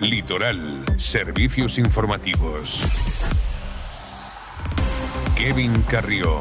Litoral, servicios informativos. Kevin Carrió.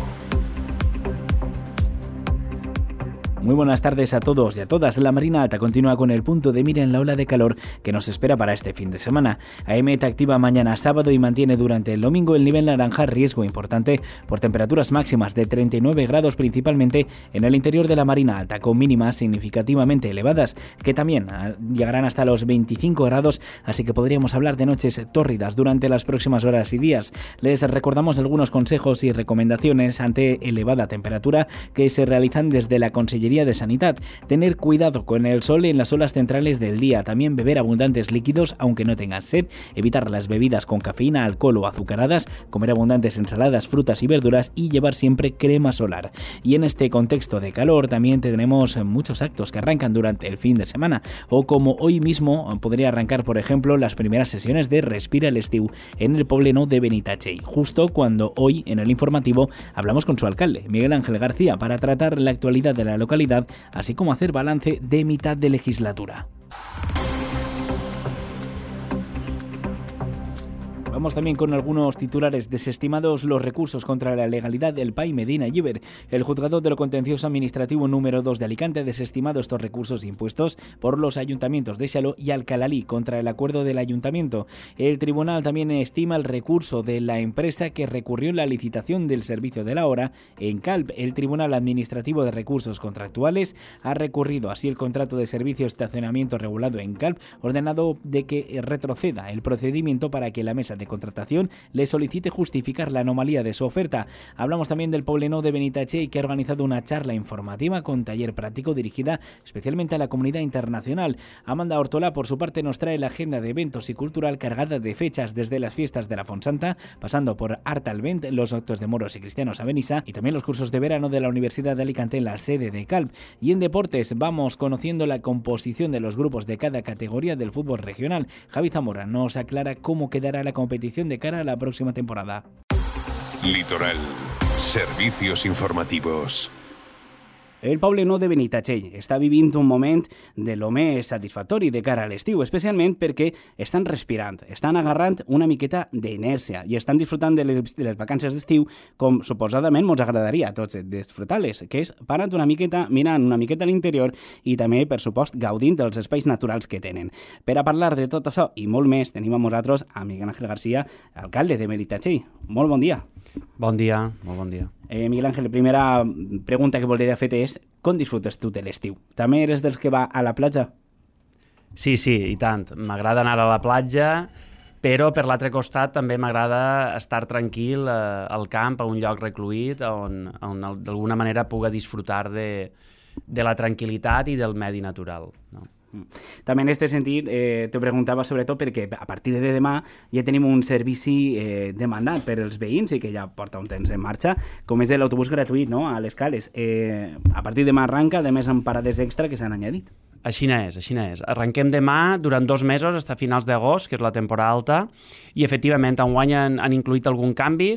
Muy buenas tardes a todos y a todas. La Marina Alta continúa con el punto de mira en la ola de calor que nos espera para este fin de semana. AEMET activa mañana sábado y mantiene durante el domingo el nivel naranja, riesgo importante por temperaturas máximas de 39 grados principalmente en el interior de la Marina Alta, con mínimas significativamente elevadas que también llegarán hasta los 25 grados, así que podríamos hablar de noches tórridas durante las próximas horas y días. Les recordamos algunos consejos y recomendaciones ante elevada temperatura que se realizan desde la Consellería de Sanidad. Tener cuidado con el sol en las horas centrales del día, también beber abundantes líquidos aunque no tengan sed, evitar las bebidas con cafeína, alcohol o azucaradas, comer abundantes ensaladas, frutas y verduras y llevar siempre crema solar. Y en este contexto de calor también tenemos muchos actos que arrancan durante el fin de semana, o como hoy mismo podría arrancar, por ejemplo, las primeras sesiones de Respira l'Estiu en el Poblenou de Benitatxell, justo cuando hoy en el informativo hablamos con su alcalde, Miguel Ángel García, para tratar la actualidad de la localidad, así como hacer balance de mitad de legislatura. Vamos también con algunos titulares. Desestimados los recursos contra la legalidad del PAI Medina Llíber. El Juzgado de lo Contencioso Administrativo número 2 de Alicante ha desestimado estos recursos impuestos por los ayuntamientos de Xaló y Alcalalí contra el acuerdo del ayuntamiento. El tribunal también estima el recurso de la empresa que recurrió la licitación del servicio de la hora en Calp. El Tribunal Administrativo de Recursos Contractuales ha recurrido así el contrato de servicio de estacionamiento regulado en Calp, ordenado de que retroceda el procedimiento para que la mesa de contratación le solicite justificar la anomalía de su oferta. Hablamos también del Poblenou de Benitatxell, que ha organizado una charla informativa con taller práctico dirigida especialmente a la comunidad internacional. Amanda Ortola, por su parte, nos trae la agenda de eventos y cultural cargada de fechas desde las fiestas de la Fonsanta, pasando por Art al Vent, los actos de moros y cristianos a Benissa y también los cursos de verano de la Universidad de Alicante en la sede de Calp. Y en deportes vamos conociendo la composición de los grupos de cada categoría del fútbol regional. Javi Zamora nos aclara cómo quedará la competición de cara a la próxima temporada. Litoral, servicios informativos. El Poblenou de Benitatxell està vivint un moment de lo més satisfactori de cara a l'estiu, especialment perquè estan respirant, estan agarrant una miqueta d'inèrcia i estan disfrutant de les vacances d'estiu com suposadament ens agradaria a tots disfrutar-les, que és parant una miqueta, mirant una miqueta a l'interior i també, per supost, gaudint dels espais naturals que tenen. Per a parlar de tot això i molt més, tenim amb nosaltres a Miguel Ángel García, alcalde de Benitatxell. Molt bon dia. Bon dia, molt bon dia. Miguel Ángel, la primera pregunta que voldria fer és com disfrutes tu de l'estiu? També eres dels que va a la platja? Sí, i tant. M'agrada anar a la platja, però per l'altre costat també m'agrada estar tranquil al camp, a un lloc recluït, on d'alguna manera puga disfrutar de la tranquil·litat i del medi natural, no? També en aquest sentit te preguntava sobretot perquè a partir de demà ja tenim un servici demandat per als veïns i que ja porta un temps en marxa, com és l'autobús gratuït, no?, a les Cales. A partir de demà arranca, a més amb parades extra que s'han añadit. Així n'és. Arrenquem demà durant 2 mesos, fins a finals d'agost, que és la temporada alta, i efectivament enguany han incluït algun canvi.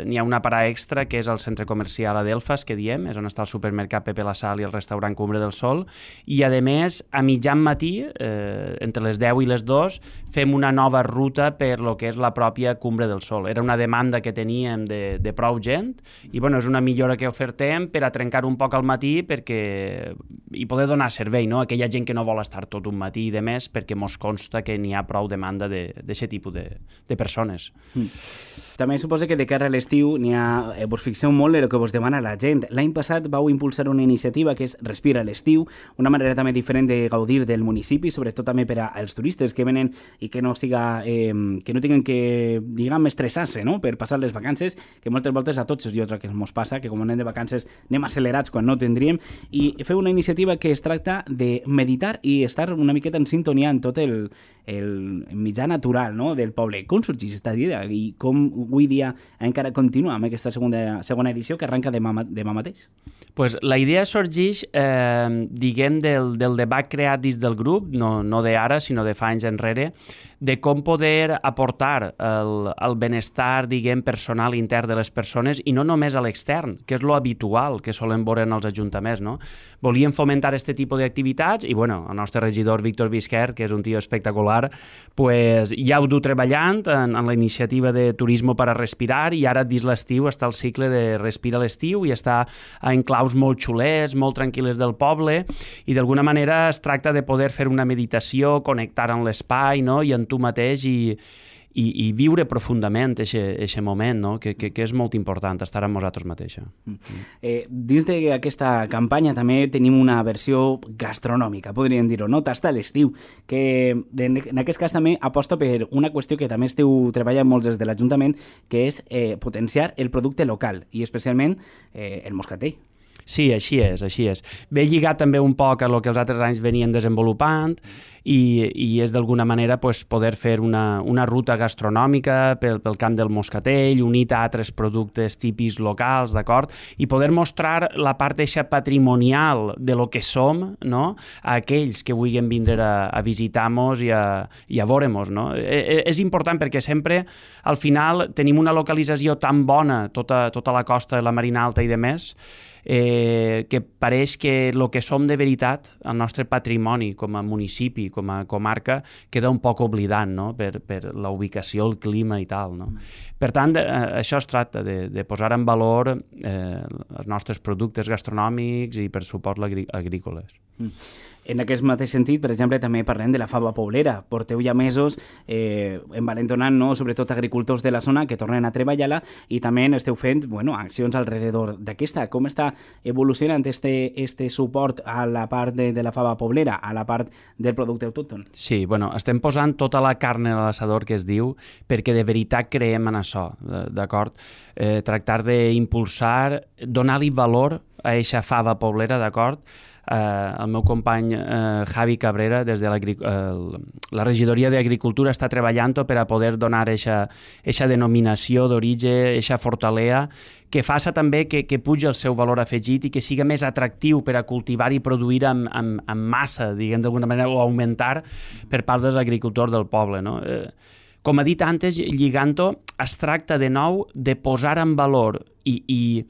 N'hi ha una parada extra, que és el centre comercial Adelfas, que diem, és on està el supermercat Pepe la Sal i el restaurant Cumbre del Sol, i a més, a mitjan matí, entre les 10 i les 2, fem una nova ruta per lo que és la pròpia Cumbre del Sol. Era una demanda que teníem de prou gent, i bueno, és una millora que ofertem per a trencar un poc al matí i poder donar servei, no?, aquella gent que no vol estar tot un matí i de més, perquè mos consta que n'hi ha prou demanda d'aquest tipus de persones. També suposo que de cara a l'estiu vos fixeu molt en el que vos demana la gent. L'any passat vau impulsar una iniciativa que és Respira l'estiu, una manera també diferent de gaudir del municipi, sobretot també per als turistes que venen i que no tinguin que, diguem, estressar-se, no?, per passar les vacances, que moltes voltes a tots jo crec que ens passa, que com anem de vacances anem accelerats quan no tindríem, i feu una iniciativa que es tracta de meditar i estar una miqueta en sintonia en tot el mitjà natural, no?, del poble. Com sorgeix aquesta idea i com avui dia encara continua amb aquesta segona edició que arranca demà mateix? Pues la idea sorgeix, diguem, del debat creat dins del grup, no d'ara, sinó de fa anys enrere, de com poder aportar el benestar, diguem, personal intern de les persones i no només a l'extern, que és lo habitual que solen veure en els ajuntaments, no? Volíem fomentar fomentar aquest tipus d'activitats i, bueno, el nostre regidor Víctor Visquert, que és un tio espectacular, pues, ja ho du treballant en la iniciativa de Turismo para Respirar i ara dins l'estiu està el cicle de Respira l'estiu i està en claus molt xulers, molt tranquil·les del poble i d'alguna manera es tracta de poder fer una meditació, connectar amb l'espai, no? I en tu mateix i viure profundament aquest moment, no? que és molt important, estar amb nosaltres mateixa. Dins d'aquesta campanya també tenim una versió gastronòmica, podríem dir-ho, no? Tasta l'estiu, que en aquest cas també aposta per una qüestió que també esteu treballant molts des de l'Ajuntament, que és potenciar el producte local i especialment el moscatell. Sí, així és. Ve lligat també un poc a el que els altres anys venien desenvolupant i és d'alguna manera pues, poder fer una ruta gastronòmica pel camp del moscatell, unit a altres productes típics locals, d'acord? I poder mostrar la part eixa patrimonial de lo que som, no? A aquells que vulguin vindre a visitar-nos i a veure-nos, no? És important perquè sempre, al final, tenim una localització tan bona, tota la costa de la Marina Alta i de més, que pareix que el que som de veritat, el nostre patrimoni com a municipi, com a comarca, queda un poc oblidat, no? per la ubicació, el clima i tal. No? Per tant, això es tracta de posar en valor els nostres productes gastronòmics i, per supost, agrícoles. En aquest mateix sentit, per exemple, també parlem de la fava poblera. Porteu ja mesos envalentonant, no? Sobretot agricultors de la zona que tornen a treballar-la i també esteu fent accions alrededor d'aquesta. Com està evolucionant este suport a la part de la fava poblera, a la part del producte autòcton? Sí, estem posant tota la carn a l'assador que es diu perquè de veritat creiem en això, d'acord? Tractar d'impulsar, donar-li valor a aquesta fava poblera, d'acord? El meu company Javi Cabrera des de la regidoria d'Agricultura està treballant per a poder donar aquesta denominació d'origen, aquesta fortalea, que faça també que pugi el seu valor afegit i que siga més atractiu per a cultivar i produir amb massa, diguem d'alguna manera, o augmentar per part dels agricultors del poble, no? Com he dit antes, lligant-ho, es tracta de nou de posar en valor i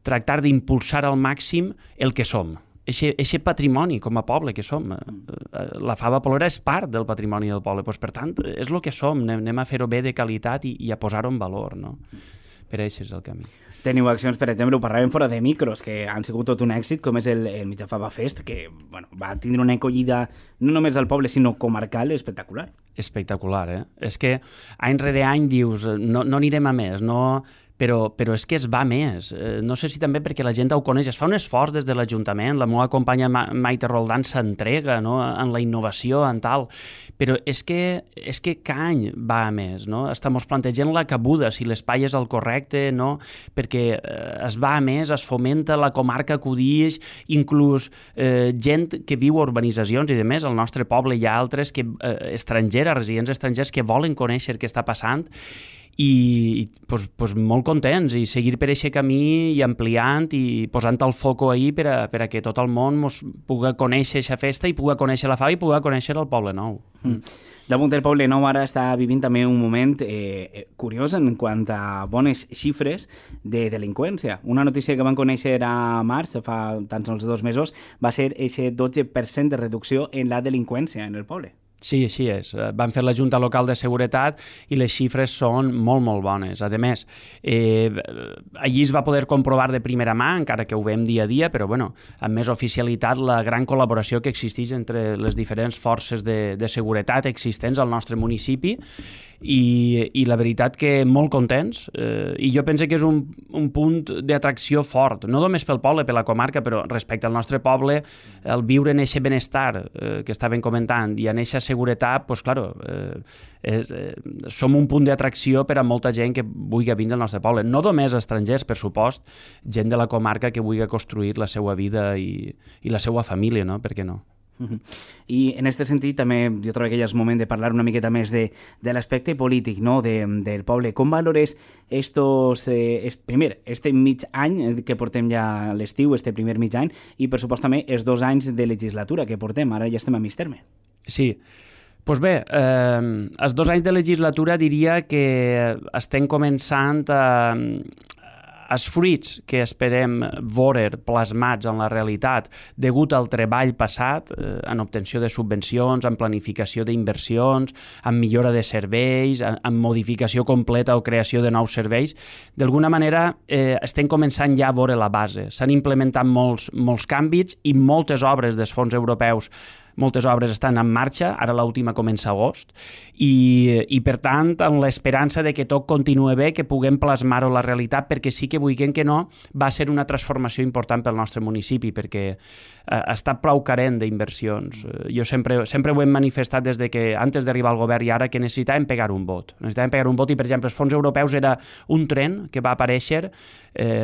tractar d'impulsar al màxim el que som. Eixe patrimoni com a poble que som. La fava poblera és part del patrimoni del poble, doncs, per tant, és el que som, anem a fer-ho bé de qualitat i a posar-ho en valor, no? Per això és el camí. Teniu accions, per exemple, ho parlàvem fora de micros, que han sigut tot un èxit, com és el Mitjà Fava Fest, que va tindre una acollida no només al poble, sinó comarcal, espectacular. Espectacular, És que any rere any dius, no anirem a més, no... Però és que es va més. No sé si també perquè la gent ho coneix. Es fa un esforç des de l'Ajuntament, la meva companya Maite Roldán s'entrega, no? En la innovació, en tal. Però és que cada any va a més, no? Estem plantegant la cabuda, si l'espai és el correcte, no? Perquè es va a més, es fomenta, la comarca acudix, inclús gent que viu a urbanitzacions i de més, al nostre poble hi ha altres estrangers, residents estrangers que volen conèixer què està passant i pues, molt contents i seguir per aquest camí i ampliant i posant el foco ahí per a que tot el món pugui conèixer aquesta festa i pugui conèixer la fava i pugui conèixer el Poble Nou. Damunt del Poble Nou ara està vivint també un moment curiós en quant a bones xifres de delinqüència. Una notícia que vam conèixer a març, fa tan sols 2 mesos, va ser aquest 12% de reducció en la delinqüència en el poble. Sí, així és. Van fer la Junta Local de Seguretat i les xifres són molt, molt bones. A més, allí es va poder comprovar de primera mà, encara que ho veiem dia a dia, però amb més oficialitat, la gran col·laboració que existeix entre les diferents forces de seguretat existents al nostre municipi i la veritat que molt contents i jo penso que és un punt d'atracció fort, no només pel poble, per la comarca, però respecte al nostre poble, el viure en aquest benestar que estàvem comentant i en aquesta seguretat, doncs, claro, som un punt d'atracció per a molta gent que vulgui vindre al nostre poble. No només estrangers, per supost, gent de la comarca que vulgui construir la seva vida i la seva família, no? Per què no? I en aquest sentit també jo trobo que ja és moment de parlar una miqueta més de l'aspecte polític, no? Del poble. Com valores primer, este mig any que portem ja l'estiu, este primer mig any, i per supost també els 2 anys de legislatura que portem, ara ja estem a mig terme. Sí, doncs bé, els 2 anys de legislatura diria que estem començant a els fruits que esperem veure plasmats en la realitat degut al treball passat en obtenció de subvencions, en planificació d'inversions, en millora de serveis, en modificació completa o creació de nous serveis, d'alguna manera estem començant ja a veure la base. S'han implementat molts canvis i moltes obres dels fons europeus. Moltes obres estan en marxa, ara l'última comença a agost, i per tant, amb l'esperança de que tot continue bé, que puguem plasmar-ho a la realitat, perquè sí que vulguem que no, va ser una transformació important pel nostre municipi, perquè està prou carent d'inversions. Jo sempre ho hem manifestat des de que, antes d'arribar al govern i ara, que necessitàvem pegar un vot. Necessitàvem pegar un vot i, per exemple, els fons europeus era un tren que va aparèixer,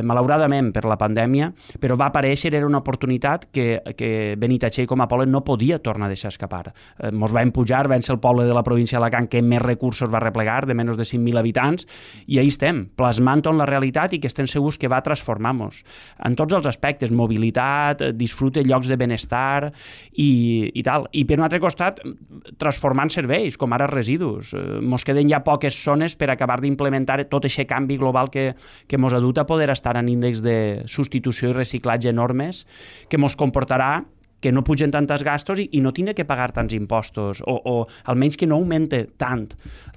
malauradament per la pandèmia, però va aparèixer, era una oportunitat que Benitatxell com a poble no podia tornar a deixar escapar. Ens vam pujar, vam ser el poble de la província d'Alacant que més recursos va replegar, de menys de 5.000 habitants, i ahí estem, plasmant-ho en la realitat i que estem segurs que va transformar-nos. En tots els aspectes, mobilitat, disfrute, llocs de benestar i tal. I per un altre costat, transformant serveis, com ara residus. Mos queden ja poques zones per acabar d'implementar tot aquest canvi global que mos ha dut a poder estar en índexs de substitució i reciclatge enormes, que mos comportarà que no pugen tantes gastos i no tindre que pagar tants impostos, o almenys que no augmente tant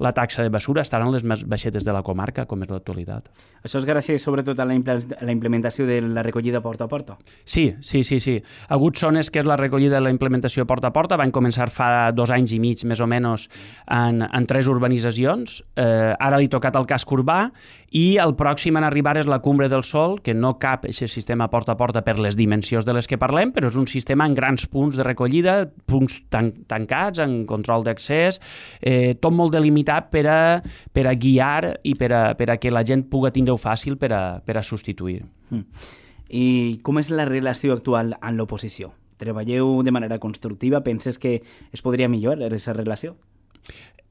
la taxa de basura, estaran les més baixetes de la comarca, com és l'actualitat. Això és gràcies sobretot a la implementació de la recollida porta a porta? Sí. Ha hagut zones que és la recollida de la implementació porta a porta, van començar fa 2 anys i mig, més o menys, en 3 urbanitzacions. Ara li ha tocat el casc urbà, i el pròxim en arribar és la Cumbre del Sol, que no cap aquest sistema porta a porta per les dimensions de les que parlem, però és un sistema en grans punts de recollida, punts tancats, en control d'accés, tot molt delimitat per a guiar i per a que la gent pugui tindre-ho fàcil per a substituir. I com és la relació actual amb l'oposició? Treballeu de manera constructiva? Penses que es podria millorar aquesta relació?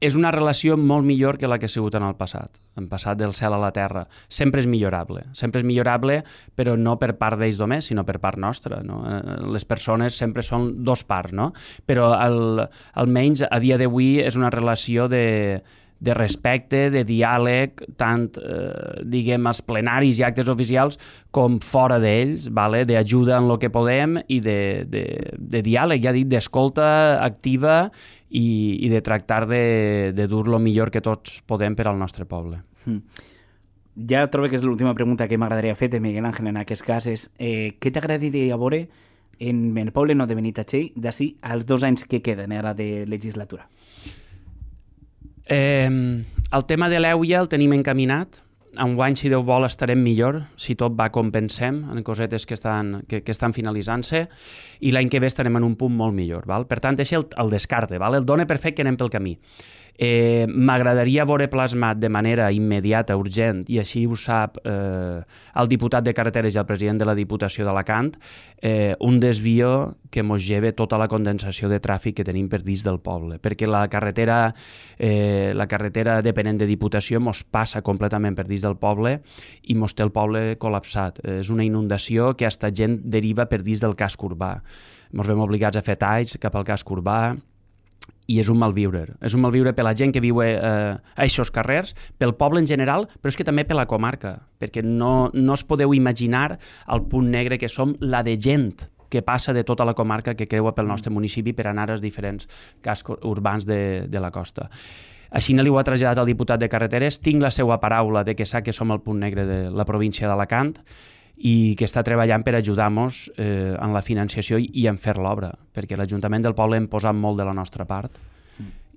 És una relació molt millor que la que ha sigut en el passat. En passat del cel a la terra. Sempre és millorable, però no per part d'ells només, sinó per part nostra. No? Les persones sempre són 2 parts, no? Però almenys a dia d'avui és una relació de respecte, de diàleg, tant, als plenaris i actes oficials com fora d'ells, d'ajuda en el que podem i de diàleg, ja dic, d'escolta activa i de tractar de dur lo millor que tots podem per al nostre poble. Ja trobo que és l'última pregunta que m'agradaria fer-te, Miguel Ángel, en aquest cas és què t'agradaria veure en el poble de Benitatxell d'ací als 2 anys que queden ara de legislatura? El tema de l'EUIA el tenim encaminat. Enguany, si Déu vol, estarem millor, si tot va com pensem, en cosetes que estan finalitzant-se, i l'any que ve estarem en un punt molt millor. Val? Per tant, és el descarte, el dona per fet que anem pel camí. M'agradaria veure plasmat de manera immediata, urgent, i així ho sap el diputat de Carreteres i el president de la Diputació d'Alacant, un desvio que mos lleve tota la condensació de tràfic que tenim per dins del poble, perquè la carretera depenent de Diputació mos passa completament per dins del poble i mos té el poble col·lapsat. És una inundació que hasta gent deriva per dins del casc urbà. Mos veiem obligats a fer talls cap al casc urbà, i és un malviure. És un malviure per la gent que viu a aquests carrers, pel poble en general, però és que també per la comarca, perquè no es podeu imaginar el punt negre que som, la de gent que passa de tota la comarca que creua pel nostre municipi per anar als diferents cascs urbans de la costa. Així li ho ha traslladat el diputat de Carreteres. Tinc la seva paraula de que sap que som el punt negre de la província d'Alacant i que està treballant per ajudar-nos en la financiació i en fer l'obra, perquè l'Ajuntament del poble hem posat molt de la nostra part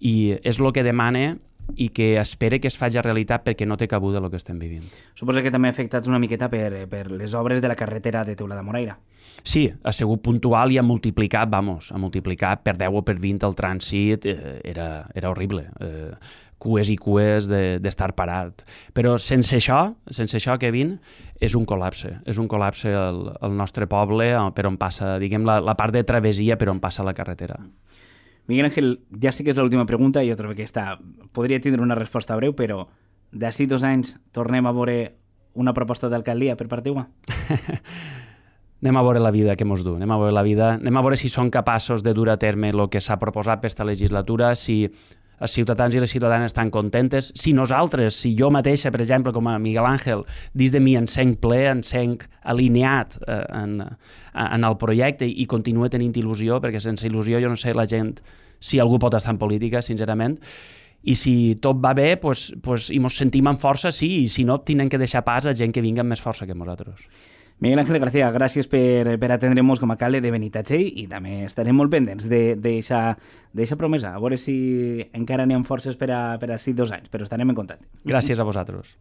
i és el que demana i que espera que es faci realitat perquè no té cabuda el que estem vivint. Suposo que també afectats una miqueta per les obres de la carretera de Teulada Moraira. Sí, ha sigut puntual i ha multiplicat per 10 o per 20 el trànsit, era horrible. Cues i cues d'estar parat. Però sense això, Kevin, és un col·lapse al nostre poble per on passa, diguem, la part de travessia per on passa la carretera. Miguel Ángel, ja sí que és l'última pregunta, jo trobo que podria tindre una resposta breu, però d'ací 2 anys tornem a veure una proposta d'alcaldia per part teva? Anem a veure la vida que mos du, anem a veure si som capaços de dur a terme el que s'ha proposat per esta legislatura, si els ciutadans i les ciutadanes estan contentes. Si nosaltres, si jo mateixa, per exemple, com a Miguel Àngel, dins de mi encenc ple, encenc alineat en el projecte i continuo tenint il·lusió, perquè sense il·lusió jo no sé la gent si algú pot estar en política, sincerament. I si tot va bé, i ens sentim amb força, sí, i si no, tenen que deixar pas a gent que vinga amb més força que nosaltres. Miguel Ángel García, gràcies per atendre'ns com a alcalde de Benitatxell i també estarem molt pendents d'aquesta promesa. A veure si encara n'hi ha forces per a 2 anys, però estarem en contacte. Gràcies a vosaltres.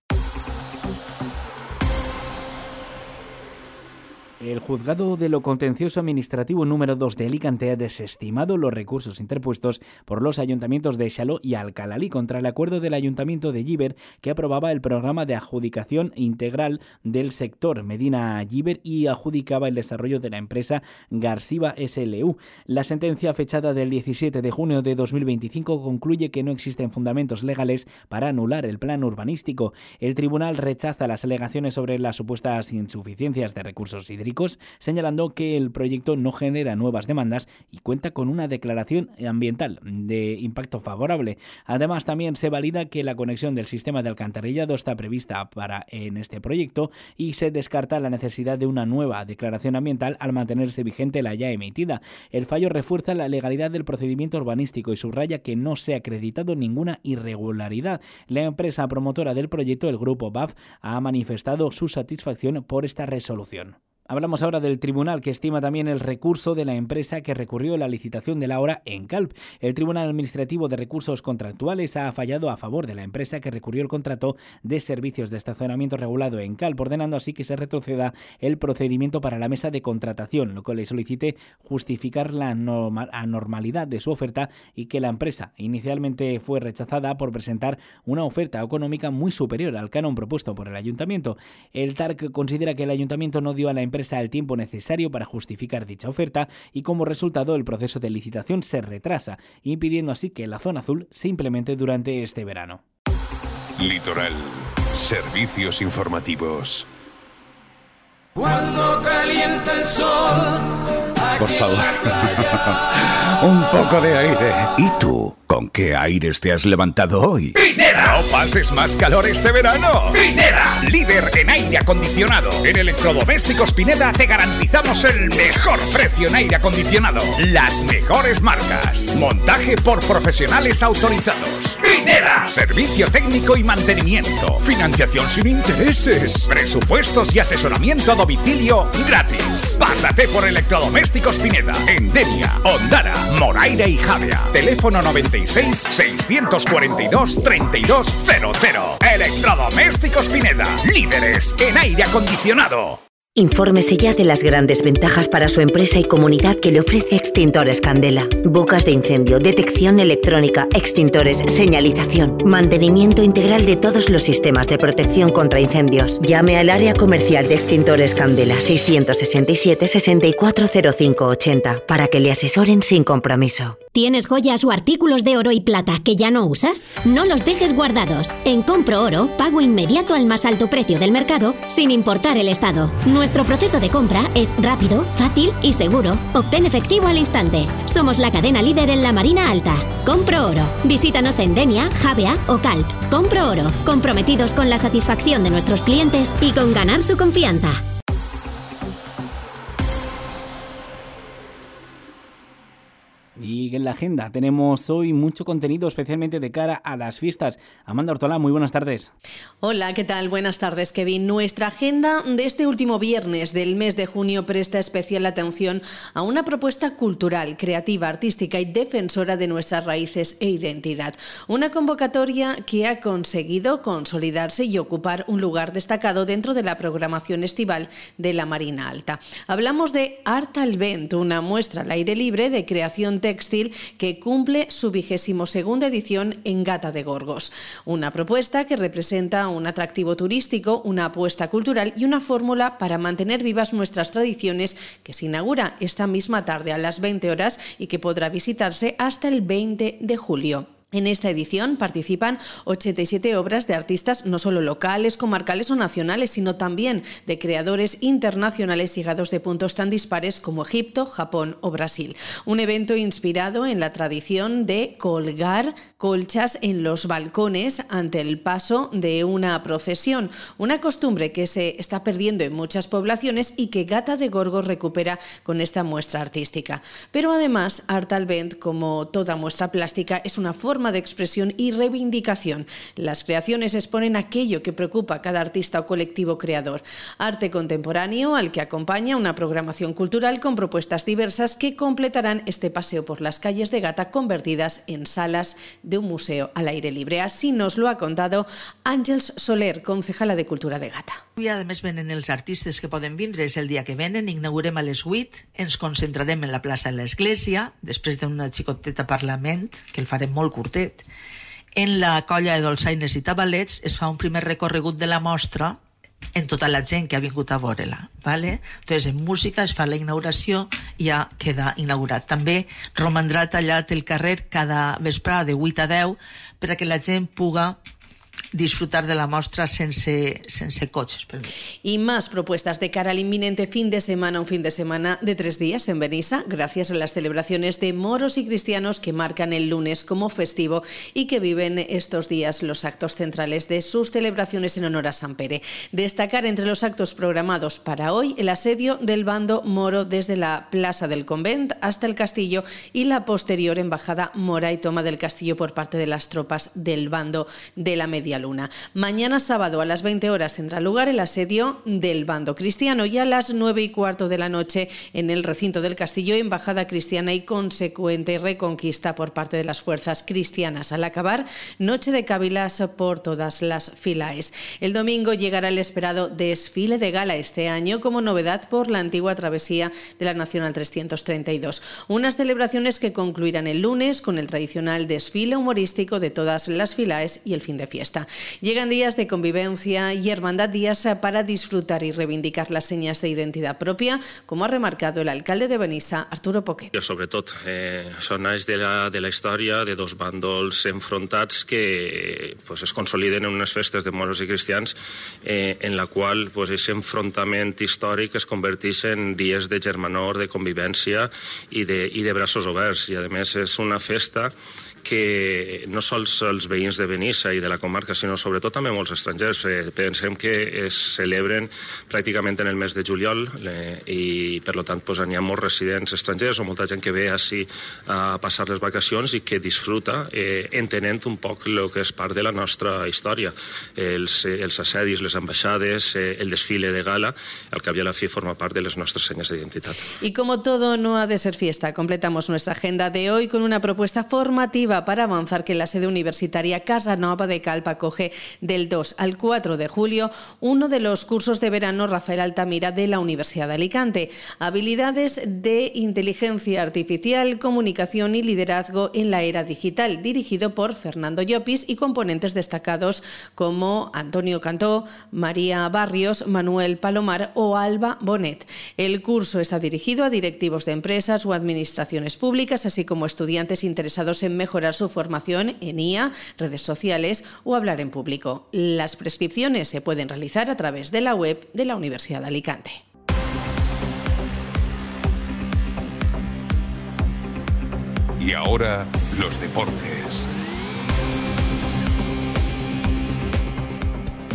El Juzgado de lo Contencioso Administrativo número 2 de Alicante ha desestimado los recursos interpuestos por los ayuntamientos de Xaló y Alcalalí contra el acuerdo del Ayuntamiento de Llíber que aprobaba el programa de adjudicación integral del sector Medina Llíber y adjudicaba el desarrollo de la empresa Garciba SLU. La sentencia fechada del 17 de junio de 2025 concluye que no existen fundamentos legales para anular el plan urbanístico. El tribunal rechaza las alegaciones sobre las supuestas insuficiencias de recursos hídricos, señalando que el proyecto no genera nuevas demandas y cuenta con una declaración ambiental de impacto favorable. Además, también se valida que la conexión del sistema de alcantarillado está prevista en este proyecto y se descarta la necesidad de una nueva declaración ambiental al mantenerse vigente la ya emitida. El fallo refuerza la legalidad del procedimiento urbanístico y subraya que no se ha acreditado ninguna irregularidad. La empresa promotora del proyecto, el grupo BAF, ha manifestado su satisfacción por esta resolución. Hablamos ahora del tribunal que estima también el recurso de la empresa que recurrió la licitación de la obra en Calp. El Tribunal Administrativo de Recursos Contractuales ha fallado a favor de la empresa que recurrió el contrato de servicios de estacionamiento regulado en Calp, ordenando así que se retroceda el procedimiento para la mesa de contratación, lo que le solicite justificar la anormalidad de su oferta y que la empresa inicialmente fue rechazada por presentar una oferta económica muy superior al canon propuesto por el ayuntamiento. El TARC considera que el ayuntamiento no dio a la empresa el tiempo necesario para justificar dicha oferta y como resultado el proceso de licitación se retrasa, impidiendo así que la zona azul se implemente durante este verano. Litoral. Servicios informativos. Cuando calienta el sol. Por favor. Un poco de aire. ¿Y tú? ¿Con qué aires te has levantado hoy? ¡Pineda! ¡No pases más calor este verano! ¡Pineda! Líder en aire acondicionado. En Electrodomésticos Pineda te garantizamos el mejor precio en aire acondicionado. Las mejores marcas. Montaje por profesionales autorizados. ¡Pineda! Servicio técnico y mantenimiento. Financiación sin intereses. Presupuestos y asesoramiento a domicilio gratis. Pásate por Electrodomésticos Pineda. En Denia, Ondara, Moraira y Javea. Teléfono 96 642 3200. Electrodomésticos Pineda. Líderes en aire acondicionado. Infórmese ya de las grandes ventajas para su empresa y comunidad que le ofrece Extintores Candela. Bocas de incendio, detección electrónica, extintores, señalización, mantenimiento integral de todos los sistemas de protección contra incendios. Llame al área comercial de Extintores Candela 667 640580 para que le asesoren sin compromiso. ¿Tienes joyas o artículos de oro y plata que ya no usas? No los dejes guardados. En Compro Oro, pago inmediato al más alto precio del mercado, sin importar el estado. Nuestro proceso de compra es rápido, fácil y seguro. Obtén efectivo al instante. Somos la cadena líder en la Marina Alta. Compro Oro. Visítanos en Denia, Javea o Calp. Compro Oro. Comprometidos con la satisfacción de nuestros clientes y con ganar su confianza. Y en la agenda tenemos hoy mucho contenido, especialmente de cara a las fiestas. Amanda Ortolá, muy buenas tardes. Hola, ¿qué tal? Buenas tardes, Kevin. Nuestra agenda de este último viernes del mes de junio presta especial atención a una propuesta cultural, creativa, artística y defensora de nuestras raíces e identidad. Una convocatoria que ha conseguido consolidarse y ocupar un lugar destacado dentro de la programación estival de la Marina Alta. Hablamos de Art al Vent, una muestra al aire libre de creación textil que cumple su 22ª edición en Gata de Gorgos. Una propuesta que representa un atractivo turístico, una apuesta cultural y una fórmula para mantener vivas nuestras tradiciones que se inaugura esta misma tarde a las 20 horas y que podrá visitarse hasta el 20 de julio. En esta edición participan 87 obras de artistas no solo locales, comarcales o nacionales, sino también de creadores internacionales llegados de puntos tan dispares como Egipto, Japón o Brasil. Un evento inspirado en la tradición de colgar colchas en los balcones ante el paso de una procesión, una costumbre que se está perdiendo en muchas poblaciones y que Gata de Gorgos recupera con esta muestra artística. Pero además, Art al Vent, como toda muestra plástica, es una forma de expresión y reivindicación. Las creaciones exponen aquello que preocupa a cada artista o colectivo creador. Arte contemporáneo al que acompaña una programación cultural con propuestas diversas que completarán este paseo por las calles de Gata convertidas en salas de un museo al aire libre. Así nos lo ha contado Àngels Soler, concejala de Cultura de Gata. I a més venen els artistes que poden vindre, és el dia que venen, inaugurem a les 8, ens concentrarem en la plaça de l'Església, després d'una xicoteta parlament, que el farem molt curtet. En la colla de dolçaines i tabalets es fa un primer recorregut de la mostra en tota la gent que ha vingut a veure-la. ¿vale? Entonces, en música es fa la inauguració i ja queda inaugurat. També romandrà tallat el carrer cada vesprada de 8 a 10 per a que la gent puga disfrutar de la muestra sense coches. Y más propuestas de cara al inminente fin de semana, un fin de semana de 3 días en Benissa, gracias a las celebraciones de moros y cristianos que marcan el lunes como festivo y que viven estos días los actos centrales de sus celebraciones en honor a San Pere. Destacar entre los actos programados para hoy el asedio del bando moro desde la Plaza del Convent hasta el Castillo y la posterior embajada mora y toma del Castillo por parte de las tropas del bando de la Media Luna. Mañana sábado a las 20 horas tendrá lugar el asedio del bando cristiano y a las 9:15 de la noche en el recinto del Castillo, embajada cristiana y consecuente reconquista por parte de las fuerzas cristianas. Al acabar, noche de cabilas por todas las filaes. El domingo llegará el esperado desfile de gala este año como novedad por la antigua travesía de la Nacional 332. Unas celebraciones que concluirán el lunes con el tradicional desfile humorístico de todas las filaes y el fin de fiesta. Llegan días de convivencia y hermandad, días para disfrutar y reivindicar las señas de identidad propia, como ha remarcado el alcalde de Benissa, Arturo Poquet. Sobretot, són anys de la història de dos bàndols enfrontats que es consoliden en unes festes de moros i cristians en la qual aquest enfrontament històric es converteix en dies de germanor, de convivència i de braços oberts. I a més és una festa que no sols els veïns de Benissa i de la comarca, sinó sobretot també molts estrangers. Pensem que es celebren pràcticament en el mes de juliol i per tant n'hi ha molts residents estrangers o molta gent que ve així a passar les vacacions i que disfruta entenent un poc el que és part de la nostra història. Els assedis, les ambaixades, el desfile de gala, al cap i a la fi forma part de les nostres senyes d'identitat. Y como todo no ha de ser fiesta, completamos nuestra agenda de hoy con una propuesta formativa para avanzar que la sede universitaria Casanova de Calp acoge del 2 al 4 de julio uno de los cursos de verano Rafael Altamira de la Universidad de Alicante. Habilidades de inteligencia artificial, comunicación y liderazgo en la era digital, dirigido por Fernando Llopis y componentes destacados como Antonio Cantó, María Barrios, Manuel Palomar o Alba Bonet. El curso está dirigido a directivos de empresas o administraciones públicas, así como estudiantes interesados en mejorar su formación en IA, redes sociales o hablar en público. Las prescripciones se pueden realizar a través de la web de la Universidad de Alicante. Y ahora, los deportes.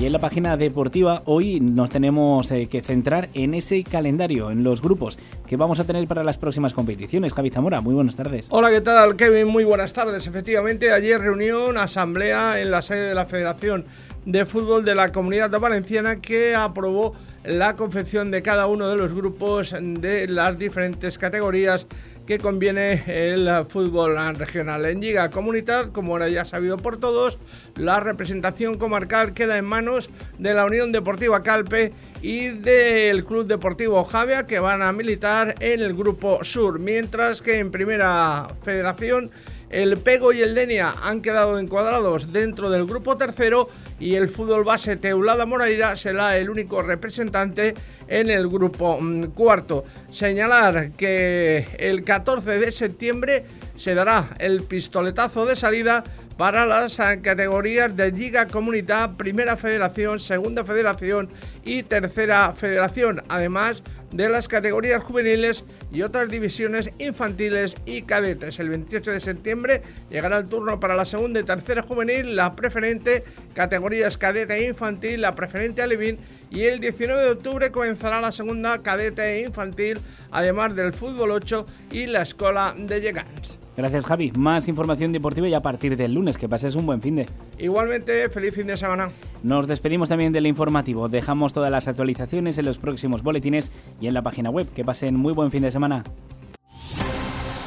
Y en la página deportiva hoy nos tenemos que centrar en ese calendario, en los grupos que vamos a tener para las próximas competiciones. Javi Zamora, muy buenas tardes. Hola, ¿qué tal, Kevin? Muy buenas tardes. Efectivamente, ayer reunión, asamblea en la sede de la Federación de Fútbol de la Comunidad Valenciana que aprobó la confección de cada uno de los grupos de las diferentes categorías que conviene el fútbol regional. En Lliga Comunitat, como ahora ya sabido por todos, la representación comarcal queda en manos de la Unión Deportiva Calpe y del Club Deportivo Javea, que van a militar en el Grupo Sur, mientras que en Primera Federación el Pego y el Denia han quedado encuadrados dentro del grupo tercero y el fútbol base Teulada Moraira será el único representante en el grupo cuarto. Señalar que el 14 de septiembre se dará el pistoletazo de salida para las categorías de Lliga Comunitat, Primera Federación, Segunda Federación y Tercera Federación, además de las categorías juveniles y otras divisiones infantiles y cadetes. El 28 de septiembre llegará el turno para la segunda y tercera juvenil, la preferente, categorías cadete e infantil, la preferente alevín, y el 19 de octubre comenzará la segunda cadete e infantil, además del fútbol 8 y la escuela de llegants. Gracias, Javi. Más información deportiva y a partir del lunes. Que pases un buen finde. Igualmente, feliz fin de semana. Nos despedimos también del informativo. Dejamos todas las actualizaciones en los próximos boletines y en la página web. Que pasen muy buen fin de semana.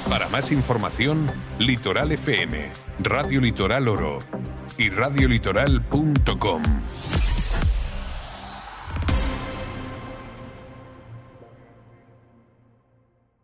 Para más información, Litoral FM, Radio Litoral Oro y radiolitoral.com.